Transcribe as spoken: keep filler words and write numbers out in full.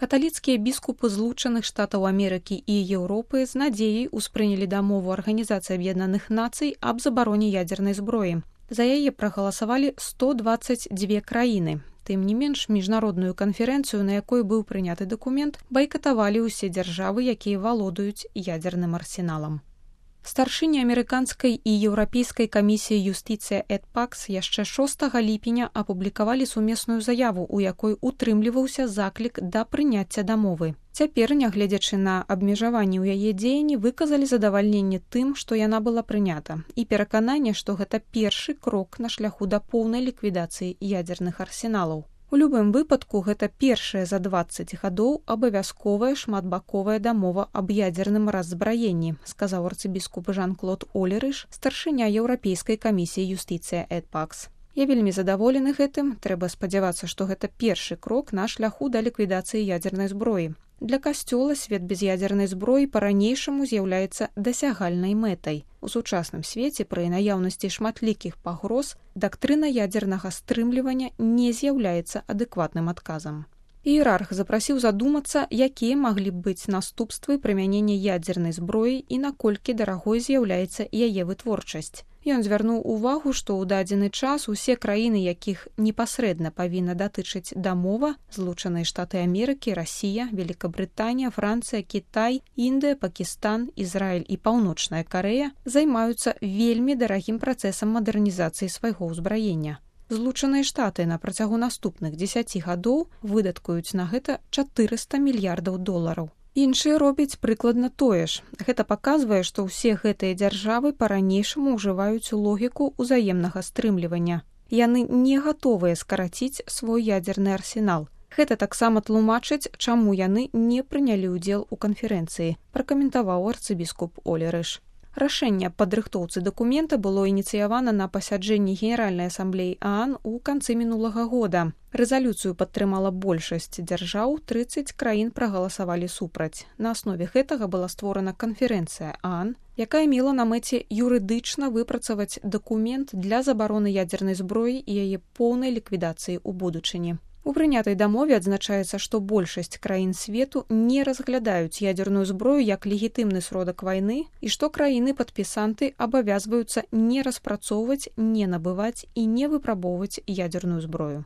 Каталіцкія біскупы Злучаных Штатаў Амерыкі і Еўропы з надзеяй успрынялі дамову Арганізацыі Аб'яднаных Нацый аб забароне ядзернай зброі. За яе прагаласавалі сто дваццаць дзве краіны. Тым не менш, міжнародную канферэнцыю, на якой быў прыняты дакумент, байкатавалі ўсе дзяржавы, якія валодаюць ядзерным арсеналам. Старшыня амерыканскай і еўрапейскай камісіі юстыцыя Эд Пакс яшчэ шостага ліпеня апублікавалі сумесную заяву, у якой утрымліваўся заклік да прыняцця дамовы. Цяпер, нягледзячы на абмежаванні ў яе дзеянні, выказалі задавальненне тым, што яна была прынята, і перакананне, што гэта першы крок на шляху да поўнай ліквідацыі ядзерных арсеналаў. У любым выпадку, гэта першая за дваццаць гадоў абавязковая шматбаковая дамова аб ядзерным раззбраенні, сказаў арцыбіскуп Жан-Клод Олерыш, старшыня Еўрапейскай камісіі юстыцыя Эд Пакс. Я вельмі задаволены гэтым, трэба спадзявацца, што гэта першы крок на шляху да ліквідацыі ядзернай зброі. Для касцёла свет без ядзернай зброі па-ранейшаму з'яўляецца дасягальнай мэтай. У сучасным свеце пры наяўнасці шматлікіх пагроз дактрына ядзернага стрымлівання не з'яўляецца адэкватным адказам. Іерарх запрасіў задумацца, якія маглі б быць наступствы прымянення ядзернай зброі і наколькі дарагой з'яўляецца яе вытворчасць. Ён звярнуў увагу, што ў дадзены час усе краіны, якіх непасрэдна павінна датычыць дамова, Злучаныя Штаты Амерыкі, Расія, Великабрытанія, Францыя, Кітай, Індыя, Пакістан, Ізраіль і Паўночная Карэя, займаюцца вельмі дарагім працэсам мадэрнізацыі свайго ўзбраення. Злучаныя Штаты на працягу наступных дзесяці гадоў выдаткуюць на гэта чатырыста мільярдаў долараў. Іншыя робяць прыкладна тое ж. Гэта паказвае, што ўсе гэтыя дзяржавы па-ранейшаму ўжываюць логіку ўзаемнага стрымлівання. Яны не гатовыя скараціць свой ядзерны арсенал. Гэта таксама тлумачыць, чаму яны не прынялі ўдзел у канферэнцыі, пракаментаваў арцыбіскуп Олерыш. Рашэнне аб падрыхтоўцы дакумента было ініцыявана на пасяджэнні Генеральнай асамблеі ААН у канцы мінулага года. Рэзалюцыю падтрымала большасць дзяржаў, трыццаць краін прагаласавалі супраць. На аснове гэтага была створана канферэнцыя ААН, якая мела на мэце юрыдычна выпрацаваць дакумент для забароны ядзернай зброі і яе поўнай ліквідацыі ў будучыні. У прынятай дамове адзначаецца, што большасць краін свету не разглядаюць ядзерную зброю як легітымны сродак вайны і што краіны-падпісанты абавязваюцца не распрацоўваць, не набываць і не выпрабоўваць ядзерную зброю.